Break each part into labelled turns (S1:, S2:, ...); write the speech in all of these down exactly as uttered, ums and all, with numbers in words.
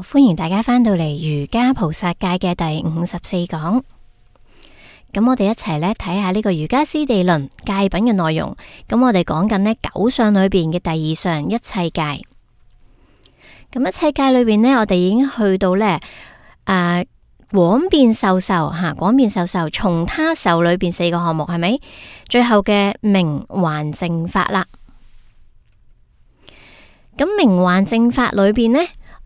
S1: 歡迎大家返到嚟瑜伽菩薩戒嘅第五十四講。咁我哋一齊咧睇下呢個瑜伽師地論戒品嘅內容。咁我哋講緊呢九相裏邊嘅第二相一切戒。咁一切戒裏邊呢，我哋已經去到呢誒廣變受受吓，廣變受受從他受裏邊四個項目係咪？最後嘅明還淨法啦。咁明還淨法裏邊呢，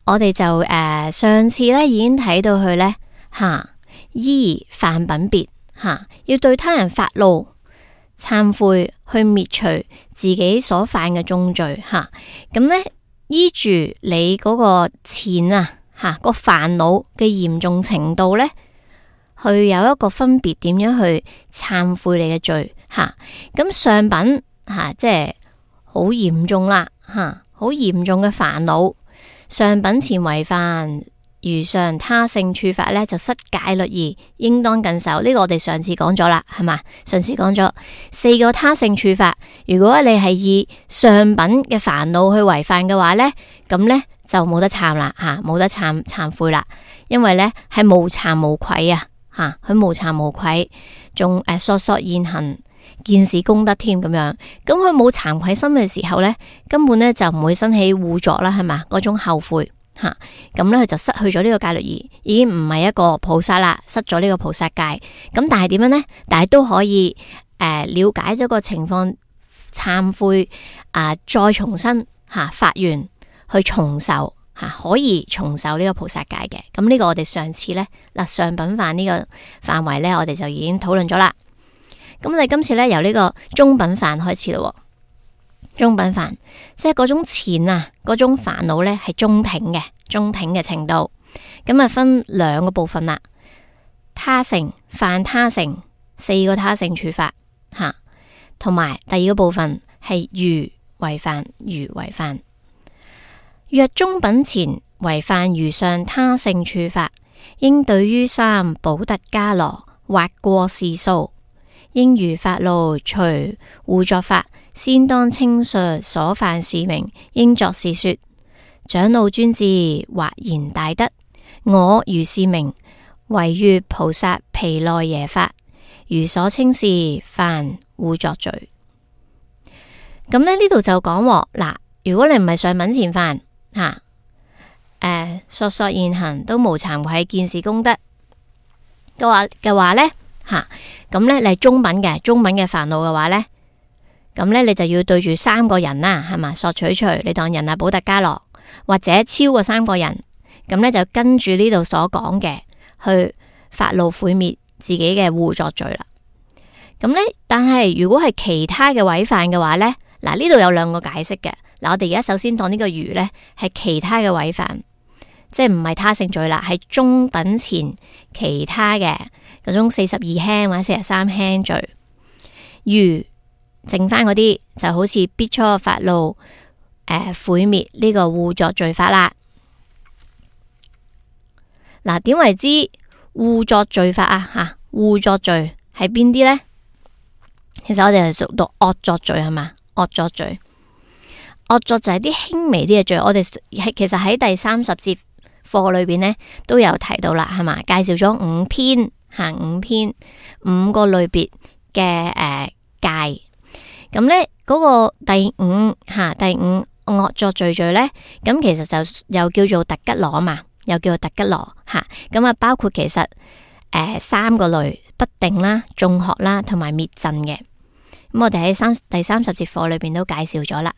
S1: 我哋就誒、呃、上次咧已經睇到佢呢，吓，依犯品別吓，要對他人發怒、懺悔，去滅除自己所犯嘅重罪吓。咁呢，依住你嗰個淺啊吓個煩惱嘅嚴重程度呢，去有一個分別，點樣去懺悔你嘅罪吓。咁上品吓，即係好嚴重啦吓。好嚴重嘅煩惱，上品前違犯，如上他勝處法呢，就失戒律儀，應當謹守。呢、這個我哋上次講咗啦，係嘛？上次講咗四個他勝處法，如果你係以上品嘅煩惱去違犯嘅話呢，咁呢就冇得懺啦，吓冇得懺懺悔啦，因為呢係無慚無愧啊，吓佢無慚無愧，仲誒索索現行。見是功德添咁樣，咁佢冇慚愧心嘅時候呢，根本呢就唔會生起污作啦，係嘛？嗰種後悔吓，咁呢佢就失去咗呢個戒律儀，已經唔係一個菩薩啦，失咗呢個菩薩戒。咁但係點樣呢？但係都可以誒、呃、了解咗個情況，懺悔啊、呃，再重新吓發願去重受吓、啊，可以重受呢個菩薩戒嘅。咁呢個我哋上次呢，嗱上品犯呢個範圍呢，我哋就已經討論咗啦。咁我哋今次咧由呢個中品犯開始咯。中品犯即係嗰種淺啊，嗰種煩惱咧係中挺嘅，中挺嘅程度。咁啊分兩個部分啦。他勝犯他勝四個他勝處法吓，同埋第二個部分係如違犯如違犯。若中品前違犯如上他勝處法，應對於三補特伽羅或過是數。應如發怒除污作法，先當稱述所犯事名，應作是說：長老尊智，或言大德，我如是名，為月菩薩毗奈耶法，如所稱是犯污作罪。咁呢呢度就講嗱，如果你唔係上品前犯吓，誒、呃、索索現行都無慚愧見是功德嘅話嘅話呢。吓，咁咧、啊、你係中品嘅，中品嘅煩惱嘅話咧，咁咧你就要對住三個人啦，係嘛？索取除，你當人啊補特伽羅，或者超過三個人，咁咧就跟住呢度所講嘅去發怒毀滅自己嘅污作罪啦。咁咧，但係如果係其他嘅違犯嘅話咧，嗱呢度有兩個解釋嘅。嗱，我哋而家首先當呢個如咧係其他嘅違犯，即係唔係他勝罪啦，係中品前其他嘅。嗰種四十二輕或者四十三輕罪，如剩翻嗰啲就好似苾芻發怒誒毀滅呢個污作罪法啦。嗱，點為之污作罪法啊？吓，污作罪係邊啲呢？其實我哋係屬讀惡作罪係嘛？惡作罪，惡作就係啲輕微啲嘅罪。我哋係其實喺第三十節課裏邊呢都有提到啦，係嘛？介紹咗五篇。行五篇五個類別嘅誒戒，咁咧嗰個第五吓、啊、第五惡作罪罪咧，咁其實就又叫做特吉羅嘛，又叫做特吉羅吓，咁啊包括其實誒、呃、三個類不定啦、眾學啦同埋滅盡嘅。咁我哋喺三第三十節課裏邊都介紹咗啦。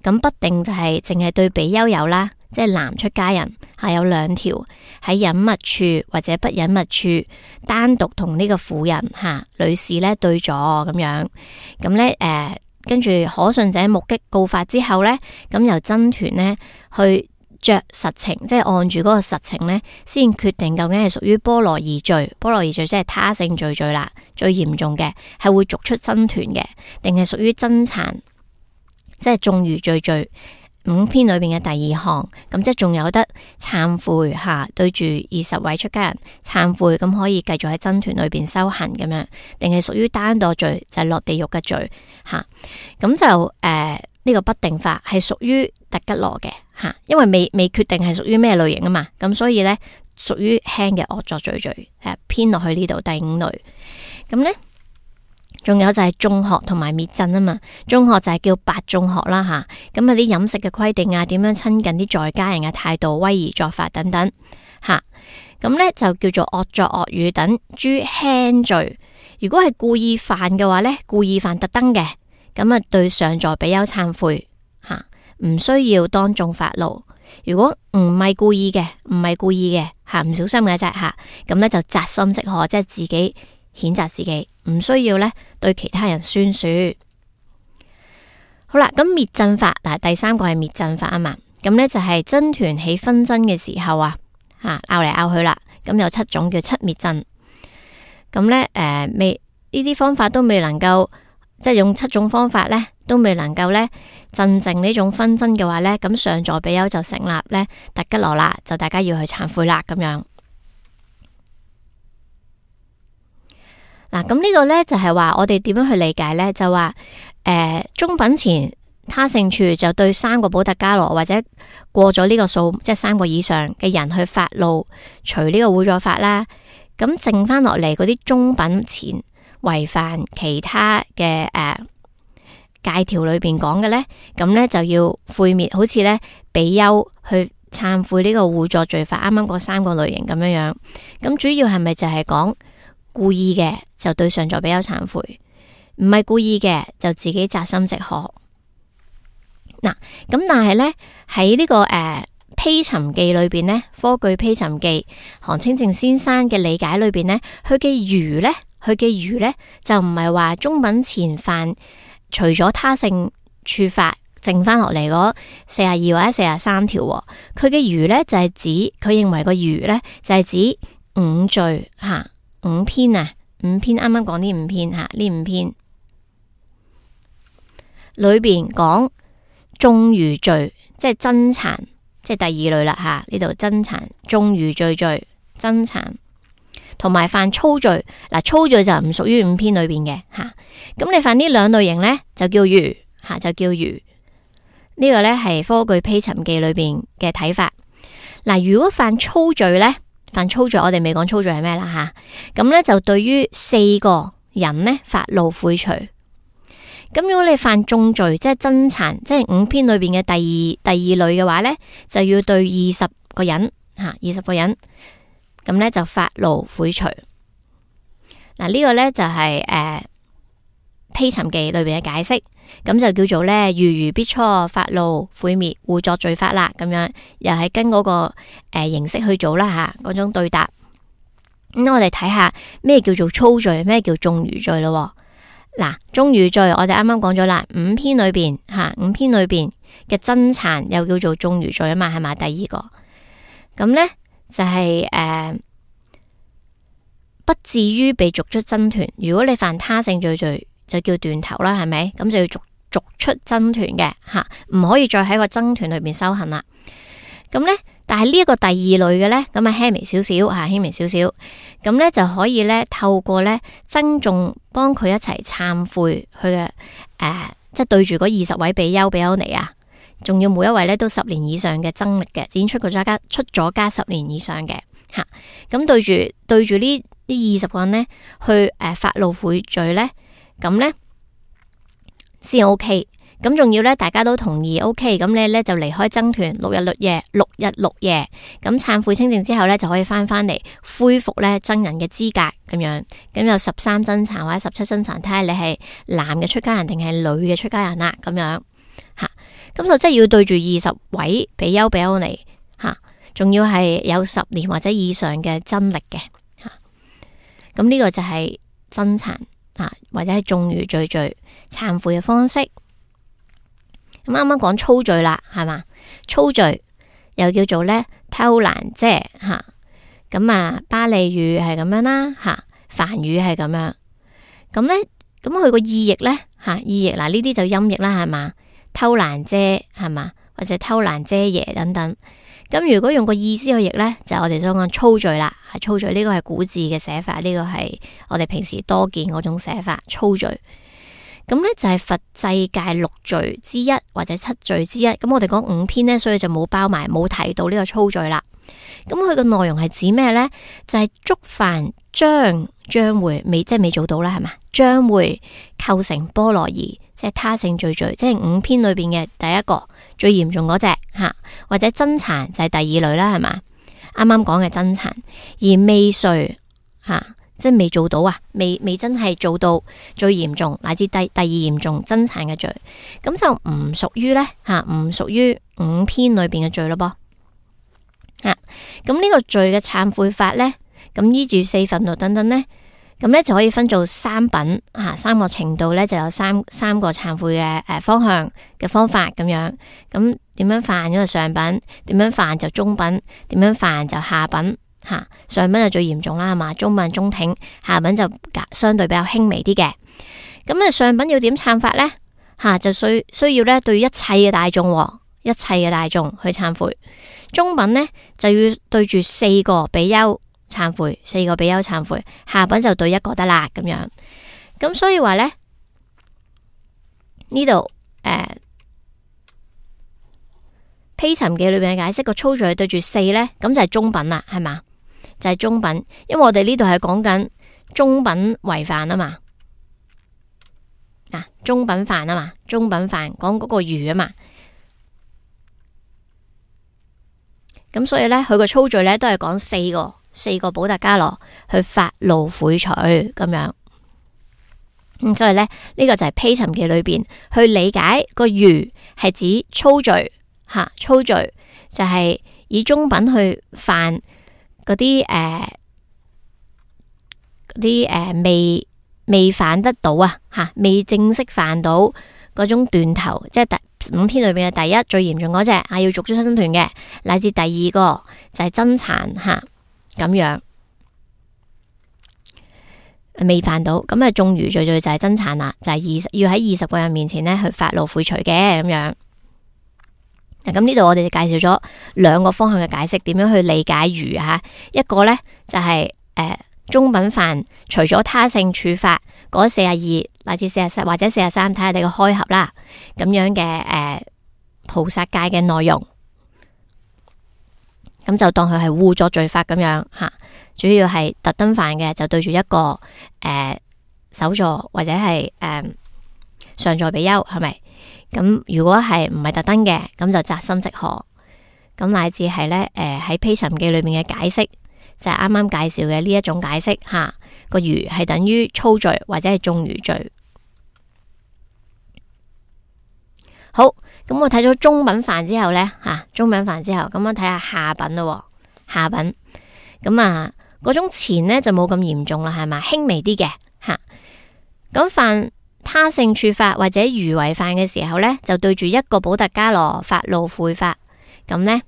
S1: 咁不定就係淨係對比丘有啦。即係男出家人係有兩條，喺隱密處或者不隱密處單獨同呢個婦人吓、啊、女士咧對咗咁樣，咁咧誒跟住可信者目擊告發之後咧，咁由僧團咧去着實情，即係按住嗰個實情咧，先決定究竟係屬於波羅夷罪，波羅夷罪即係他勝罪罪啦，最嚴重嘅係會逐出僧團嘅，定係屬於僧殘，即係眾餘罪罪。五篇裏邊嘅第二項，咁即係仲有得懺悔吓，對住二十位出家人懺悔，咁可以繼續喺僧團裏邊修行咁樣，定係屬於單墮罪，就係、是、落地獄嘅罪吓。咁就誒呢、呃這個不定法係屬於特吉羅嘅吓，因為未未決定係屬於咩類型啊嘛，咁所以咧屬於輕嘅惡作罪罪誒偏落去呢度第五類。咁咧。仲有就係眾學同埋滅僧啊嘛，眾學就係叫八眾學啦吓，咁啊啲飲食嘅規定啊，點樣親近啲在家人嘅態度、威儀作法等等吓，咁咧就叫做惡作惡語等諸輕罪。如果係故意犯嘅話咧，故意犯特登嘅，咁啊對上座比丘懺悔吓，唔需要當眾發怒。如果唔係故意嘅，唔係故意嘅吓，唔小心嘅啫吓，咁咧就責心即可，即係自己譴責自己。唔需要咧對其他人宣說。好啦，咁滅僧法嗱，第三個係滅僧法啊嘛。咁咧就係僧團起紛爭嘅時候啊，吓拗嚟拗去啦。咁有七種叫七滅僧。咁咧誒，未呢啲方法都未能夠，即係用七種方法咧都未能夠咧鎮靜呢種紛爭嘅話咧，咁上座比丘就成立咧特吉羅啦，就大家要去懺悔啦咁樣。嗱，咁呢個咧就係話我哋點樣去理解咧？就話誒，中品前他勝處就對三個補特伽羅或者過咗呢個數，即係三個以上嘅人去發怒，除呢個會助法啦。咁剩翻落嚟嗰啲中品前違犯其他嘅誒戒條裏邊講嘅咧，咁咧就要悔滅，好似咧比丘去懺悔呢個會助罪法，啱啱嗰三個類型咁樣樣。咁主要係咪就係講故意嘅就對上座比丘懺悔，唔係故意嘅就自己責心即可。嗱，咁但係咧喺呢、這個誒、呃、披尋記裏邊咧，科舉披尋記韓清淨先生嘅理解裏邊咧，佢嘅餘咧，佢嘅餘咧就唔係話中品前犯除咗他勝處法剩翻落嚟嗰四十二或者四十三條，佢嘅餘咧就係、是、指佢認為個餘咧就係、是、指五罪吓。啊五篇啊，五篇啱啱講呢五篇吓，呢五篇裏邊講眾餘罪，即係僧殘，即係第二類啦吓。呢度僧殘、眾餘罪罪、僧殘，同埋犯粗罪。嗱，粗罪就唔屬於五篇裏邊嘅吓。咁你犯呢兩類型咧，就叫餘吓，就叫餘。呢、這個咧係科舉披尋記裏邊嘅睇法。嗱，如果犯粗罪咧？犯粗罪，我哋未講粗罪係咩啦吓，咁咧就對於四個人呢發怒悔除。咁如果你犯重罪，即係僧殘，即係五篇裏邊嘅第二第二類嘅話咧，就要對二十個人吓，二十個人，咁咧就發怒悔除。嗱，呢個咧就係誒披尋記裏邊嘅解釋。咁就叫做咧，如如必初發怒悔滅會作罪法啦，咁樣又係跟嗰、那個誒、呃、形式去做啦吓，嗰種對答。咁、嗯、我哋睇下咩叫做粗罪，咩叫眾餘罪咯。嗱，眾餘罪我哋啱啱講咗啦，五篇裏邊吓，五篇裏邊嘅僧殘又叫做眾餘罪啊嘛，係咪？第二個咁咧就係、是、誒、呃、不至於被逐出僧團。如果你犯他勝罪罪，就叫斷頭啦，係咪？咁就要逐逐出僧團嘅吓，唔可以再喺個僧團裏邊修行啦。咁咧，但係呢一個第二類嘅咧，咁啊輕微少少吓，輕微少少，咁咧就可以咧透過咧僧眾幫佢一齊懺悔，去嘅誒，即係對住嗰二十位比丘比丘尼啊，仲要每一位咧都十年以上嘅僧歷嘅，已經出過咗家出咗家十年以上嘅吓，咁對住對住呢呢二十個人咧去誒、呃、發怒悔罪咧。咁咧先 OK，咁仲要咧大家都同意 OK，咁你咧就離開僧團六日六夜，六日六夜，咁懺悔清淨之後咧就可以翻翻嚟恢復咧僧人嘅資格咁樣，咁有十三僧殘或者十七僧殘，睇下你係男嘅出家人定係女嘅出家人啦，咁樣吓，咁就即係要對住二十位比丘比丘尼吓，仲要係有十年或者以上嘅僧歷嘅吓，咁呢個就係僧殘。啊，或者係眾餘罪罪懺悔嘅方式。咁啱啱講粗罪啦，係嘛？粗罪又叫做咧偷蘭遮吓，咁啊巴利語係咁樣啦吓，梵語係咁樣。咁咧，咁佢個意譯咧吓，意譯嗱呢啲就音譯啦，係嘛？偷蘭遮係嘛？或者偷懶遮耶等等。咁如果用個意思去譯呢，就係我哋所講粗罪啦。粗罪呢個係古字嘅寫法，呢個係我哋平時多見嗰種寫法，粗罪。咁呢就係佛制戒六罪之一或者七罪之一。咁我哋講五篇呢，所以就冇包埋冇提到呢個粗罪啦。咁佢個內容係指咩呢？就係觸犯將將會未即係未做到啦，係嘛？將會構成波羅夷，即係他勝罪罪，即係五篇裏邊嘅第一個最嚴重嗰隻吓，或者真殘就係第二類啦，係嘛？啱啱講嘅真殘，而未遂吓，即係未做到啊，未未真係做到最嚴重乃至第第二嚴重真殘嘅罪，咁就唔屬於呢，吓，唔屬於五篇裏邊嘅罪咯噃。啊，咁呢個罪嘅懺悔法呢，咁依住四憤怒等等呢，咁呢就可以分做三品啊，三個程度呢就有三三個懺悔嘅誒方向嘅方法咁樣。咁點樣犯嗰個上品，點樣犯就中品，點樣犯就下品吓、啊。上品就最嚴重啦，係嘛？中品中挺，下品就相對比較輕微啲嘅。咁啊，上品要點懺法呢？吓、啊，就需需要呢對一切嘅大眾、哦，一切嘅大眾去懺悔。中品呢，就要對住四個比丘懺悔，四個比丘懺悔，下品就對一個得啦咁樣。咁所以話呢，呢度誒披尋記裏邊嘅解釋個粗罪對住四呢，咁就係中品啦，係嘛？就係、是、中品，因為我哋呢度係講緊中品違犯啊嘛，嗱、啊、中品犯啊嘛，中品犯講嗰個愚啊嘛。咁所以咧，佢個粗罪咧都係講四個四個補特伽羅去發怒悔除咁樣。咁所以咧，呢、這個就係披尋記裏邊去理解個愚係指粗罪吓、啊，粗罪就係以中品去犯嗰啲誒嗰啲誒未未犯得到啊吓，未正式犯到嗰種斷頭，即係第五篇裏邊嘅第一最嚴重嗰隻啊，要逐出生團嘅，乃至第二個就係真殘吓咁樣未犯到，咁啊眾愚罪罪就係真殘啦，就係二十要喺二十個人面前呢去發怒悔除嘅咁樣。咁呢度我哋就介紹咗兩個方向嘅解釋，點樣去理解愚吓。一個呢就係、是、誒、呃、中品犯，除咗他勝處罰嗰四十二乃至四十三或者四十三，睇下你個開合啦，咁樣嘅誒、呃、菩薩戒嘅內容，咁就當佢係互作罪法咁樣吓。主要係特登犯嘅就對住一個誒、呃、首座或者係誒、呃、上座比丘，係咪？咁如果係唔係特登嘅，咁就責心即可。咁乃至係咧誒喺披尋記裏面嘅解釋，就係啱啱介紹嘅呢一種解釋吓。個愚係等於粗罪或者係眾愚罪。好，咁我睇咗中品犯之後呢，吓、啊、中品犯之後，咁我睇下下品咯。下品咁啊，嗰種前呢就冇咁嚴重啦，係嘛，輕微啲嘅吓。咁、啊、犯他勝處罰或者愚違犯嘅時候呢，就對住一個補特伽羅發怒悔法，咁呢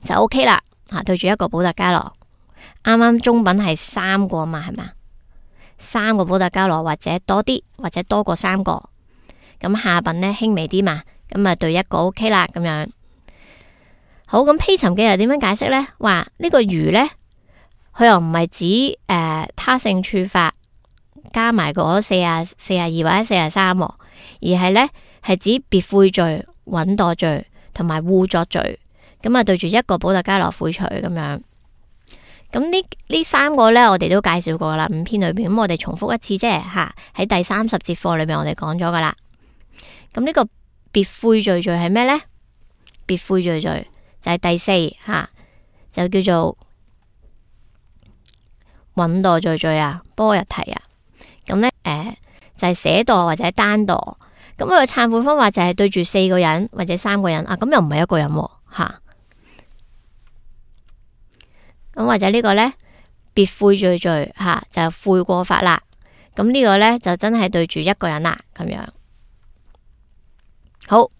S1: 就 OK 啦。吓、啊，對住一個補特伽羅。啱啱中品係三個嘛，係嘛？三個補特伽羅或者多啲，或者多過三個。咁下品呢輕微啲嘛，咁啊對一個 OK 啦，咁樣。好，咁披尋記又點樣解釋呢？話呢個愚呢，佢又唔係指誒、呃、他勝處罰加埋嗰四啊四啊二或者四啊三，而係呢係指別悔罪、穩墮罪同埋互作罪。咁啊對住一個補特伽羅悔除咁樣。咁呢呢三個呢，我哋都介紹過啦，五篇裏邊。咁我哋重複一次啫吓，喺第三十節課裏邊我哋講咗噶啦。咁呢個別悔罪罪係咩呢？別悔罪罪就係第四吓，就叫做穩墮罪罪啊，波日提啊。咁呢，誒、呃、就係捨墮或者單墮。咁佢個懺悔方法就係對住四個人或者三個人啊，咁又唔係一個人吓。啊咁或者呢個呢，別悔罪罪吓、啊、就悔過法啦。咁呢個呢，就真係對住一個人啦，咁樣。好，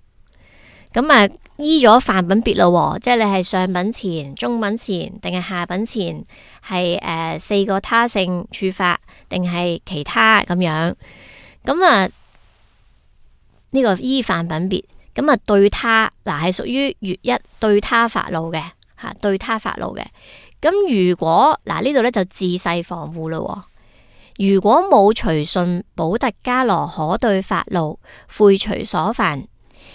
S1: 咁啊依咗範品別咯，即係你係上品前、中品前定係下品前，係誒、呃、四個他勝處罰定係其他咁樣。咁啊呢、這個依範品別，咁啊對他嗱係屬於月一對他發怒嘅吓，對他發怒嘅。咁如果嗱呢度咧就自細防護咯。如果冇隨順補特伽羅可對發怒悔除所犯，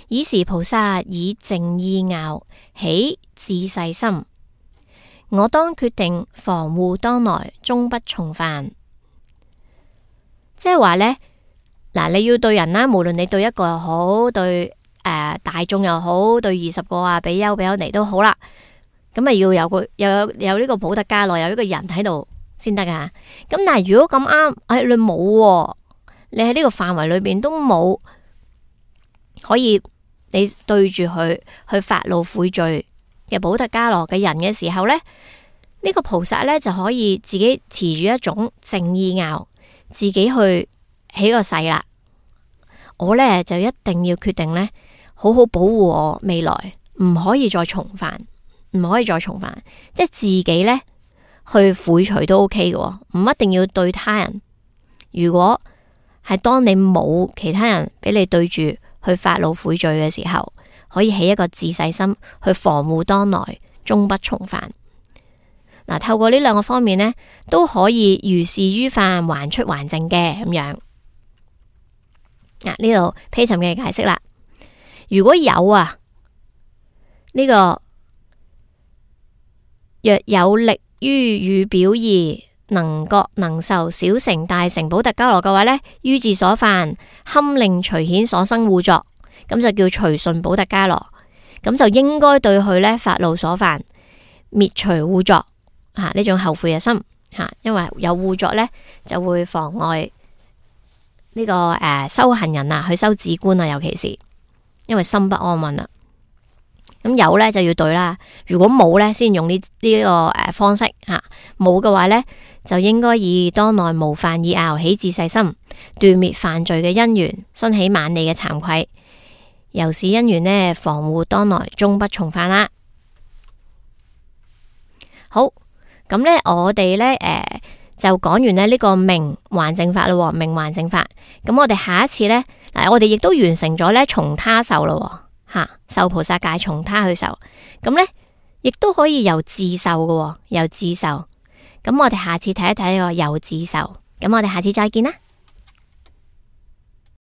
S1: 爾時菩薩以淨意樂起自細心，我當決定防護當來，終不重犯。即係話呢，嗱你要對人啦，無論你對一個又好，對誒、呃、大眾又好，對二十個啊比丘比丘尼都好啦。咁啊要有個又有有呢個補特伽羅，有呢個人喺度先得噶。咁但係如果咁啱，哎你冇，你喺呢個範圍裏邊都冇可以你對住佢去發怒悔罪嘅補特伽羅嘅人嘅時候咧，呢、呢個菩薩咧就可以自己持住一種淨意樂，自己去起個誓啦。我咧就一定要決定咧，好好保護我未來，唔可以再重犯。唔可以再重犯，即係自己咧去悔除都 OK 嘅，唔一定要對他人。如果係當你冇其他人俾你對住去發怒悔罪嘅時候，可以起一個自細心去防護當來，終不重犯。嗱，透過呢兩個方面呢，都可以如是於犯，還出還淨嘅咁樣。嗱，呢度披尋嘅解釋啦。如果有啊呢、這個。若有力於語表義，能覺能受小乘大乘補特伽羅嘅話呢，於自所犯堪令隨顯所生護作，咁就叫隨順補特伽羅，咁就應該對佢呢發怒所犯滅除護作吓呢種後悔嘅心吓，因為有護作呢，就會妨礙呢、這個誒、呃、修行人啊去修止觀啊，尤其是因為心不安穩啦。咁有咧就要對啦，如果冇咧先用呢呢個誒方式吓，冇嘅話咧就應該以當來無犯意樂起自細心，斷滅犯罪嘅因緣，生起猛利嘅慚愧，由是因緣呢防護當來，終不重犯啦。好，咁咧我哋咧誒就講完咧呢個明還淨法咯，明還淨法。咁我哋下一次咧嗱，我哋亦都完成咗咧從他受咯。吓，受菩薩戒從他去受，咁咧亦都可以由自受嘅，由自受。咁我哋下次睇一睇個由自受，咁我哋下次再見啦。